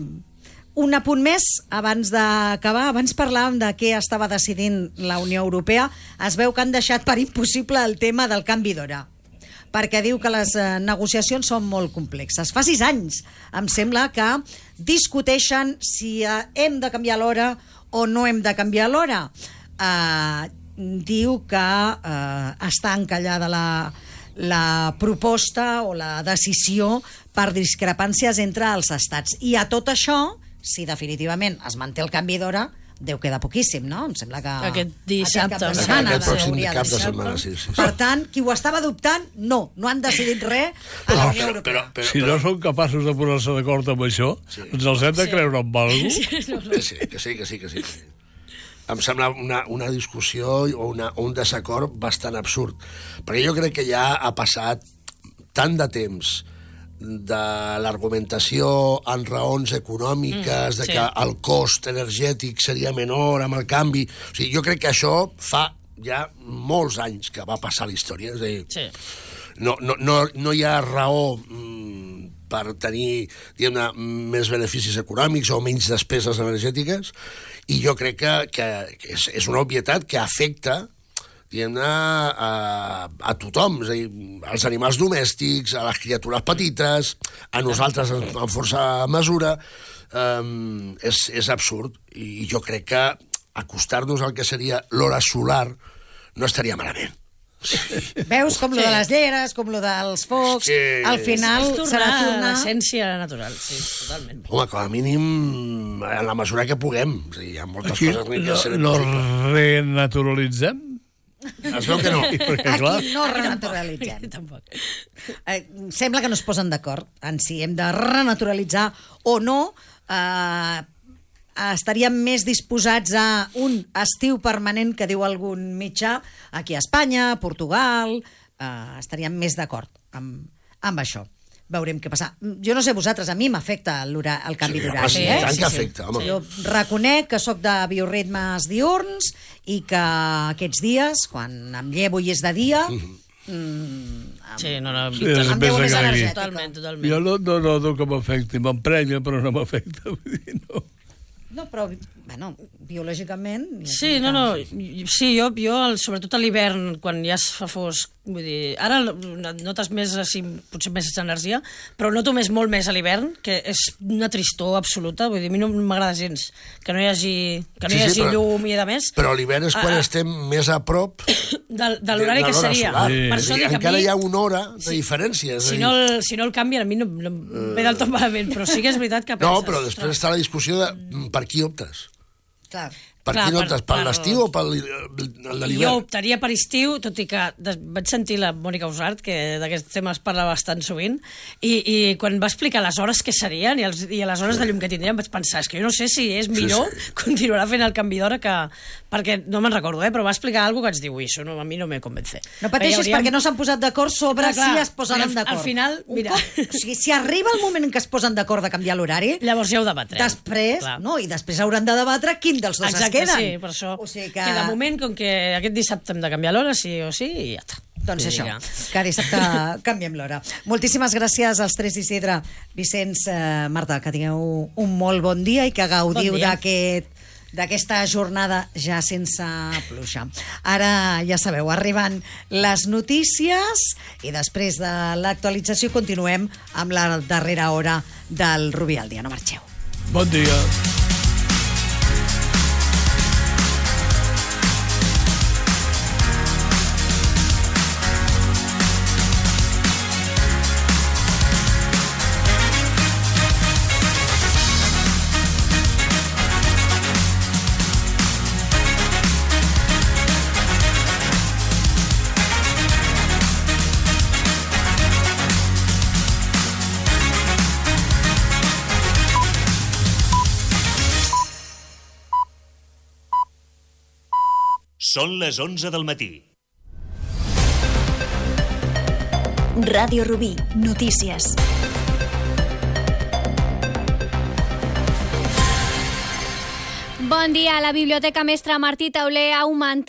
un apunt més, abans d'acabar, abans parlàvem de què estava decidint la Unió Europea. Es veu que han deixat per impossible el tema del canvi d'hora, perquè diu que les eh, negociacions són molt complexes. Fa sis anys, em sembla, que discuteixen si eh, hem de canviar l'hora o no hem de canviar l'hora. Eh, diu que eh, està encallada la, la proposta o la decisió per discrepàncies entre els estats. I a tot això, si definitivament es manté el canvi d'hora, deu quedar poquíssim, no? Em sembla que... Aquest dissabte, Aquest cap de em setmana, Aquest pròxim hauria cap de ser. setmana, sí, sí. sí. Per tant, qui ho estava dubtant, no, no han decidit res a la Unió Europea. Si no són capaços de posar-se d'acord amb això, Sí. ens els hem de creure amb alguna cosa. Que sí, que sí, que sí, que sí. que sí. Em sembla una, una discussió o, una, o un desacord bastant absurd. Perquè jo crec que ja ha passat tant de temps de l'argumentació en raons econòmiques, mm, de sí. que el cost energètic seria menor amb el canvi. O sigui, jo crec que això fa ja molts anys que va passar a la història. És a dir, Sí. no, no, no, no hi ha raó mm, per tenir, diguem-ne, més beneficis econòmics o menys despeses energètiques, i jo crec que, que, que és, és una obvietat que afecta, diguem-ne, a, a tothom, és a dir, als animals domèstics, a les criatures petites, a nosaltres en, en força mesura, um, és, és absurd, i jo crec que acostar-nos al que seria l'hora solar no estaria malament. Veus com lo Sí. de les lleres, com lo dels focs, Sí. al final És tornar serà a tornar... l'essència natural, sí, totalment. Home, com a mínim, en la mesura que puguem. És a dir, hi ha moltes Aquí coses que no, serem no possibles. renaturalitzem? Es veu que no. Perquè, clar, Aquí no renaturalitzem. Tampoc. Eh, sembla que no es posen d'acord en si hem de renaturalitzar o no. Eh, estaríem més disposats a un estiu permanent que diu algun mitjà aquí a Espanya, a Portugal. Eh, estaríem més d'acord amb, amb això. Veurem què passa. Jo no sé vosaltres, a mi m'afecta l'hora- el canvi Sí, d'horari. home, sí, eh? tant que afecta, home. Jo reconec que sóc de bioritmes diurns i que aquests dies, quan em llevo i és de dia, mm, Sí, no, no, Sí, és em més veu més agraït. energètica. totalment, totalment. jo no, no noto que m'afecti. M'emprenya, però no m'afecta. Vull dir, no. No, però, bueno, biològicament... Sí, no, no, sí, jo, jo el- sobretot a l'hivern, quan ja es fa fosc, Vull dir, ara notes més, així, potser més energia, però noto més, molt més a l'hivern, que és una tristor absoluta. Vull dir, a mi no m'agrada gens que no hi hagi, que no Sí, hi sí, hagi però- llum i de més. Però l'hivern és quan Ah, ah. estem més a prop De, de l'horari de que l'hora seria. solar. Sí. Per És això a dir, dic, a encara mi, hi ha una hora de diferència. és a si dir, no, el, si no el canvien, a mi no, no em ve del tot malament, però sí que és veritat que penses... No, però després està la discussió de mm, per qui optes. Clar. Per Clar, qui per- optes? Per per- l'estiu o per el de Jo l'hivern? optaria per estiu, tot i que des, vaig sentir la Mònica Usart, que d'aquests temes parla bastant sovint, i, i quan va explicar les hores que serien i, els, i les hores de llum que tindríem, vaig pensar, és que jo no sé si és millor sí. continuar fent el canvi d'hora que... Perquè no me'n recordo, eh, però va explicar alguna cosa que vaig dir, ui, això no, a mi no me convence. No pateixis, Hauríem- perquè no s'han posat d'acord sobre Clar, clar, si es posaran al- d'acord. al final, Un mira. cop- o sigui, si arriba el moment en què es posen d'acord de canviar l'horari, Llavors ja ho debatrem. després, Clar. no, i després hauran de debatre quin dels dos Exacte, es queden. sí, per això. O sigui Que... que de moment, com que aquest dissabte hem de canviar l'hora, sí o sí, i ja està. Doncs Vull dir això, que- que dissabte canviem l'hora. Moltíssimes gràcies als tres d'Isidre, Vicenç, eh, Marta, que tingueu un molt bon dia i que gaudiu Bon dia. d'aquest d'aquesta jornada ja sense pluja. Ara, ja sabeu, arriben les notícies i després de l'actualització continuem amb la darrera hora del Rubí al dia. No marxeu. Bon dia. Són les onze del matí. Ràdio Rubí, notícies. Bon dia. La Biblioteca Mestre Martí Tauler ha augmentat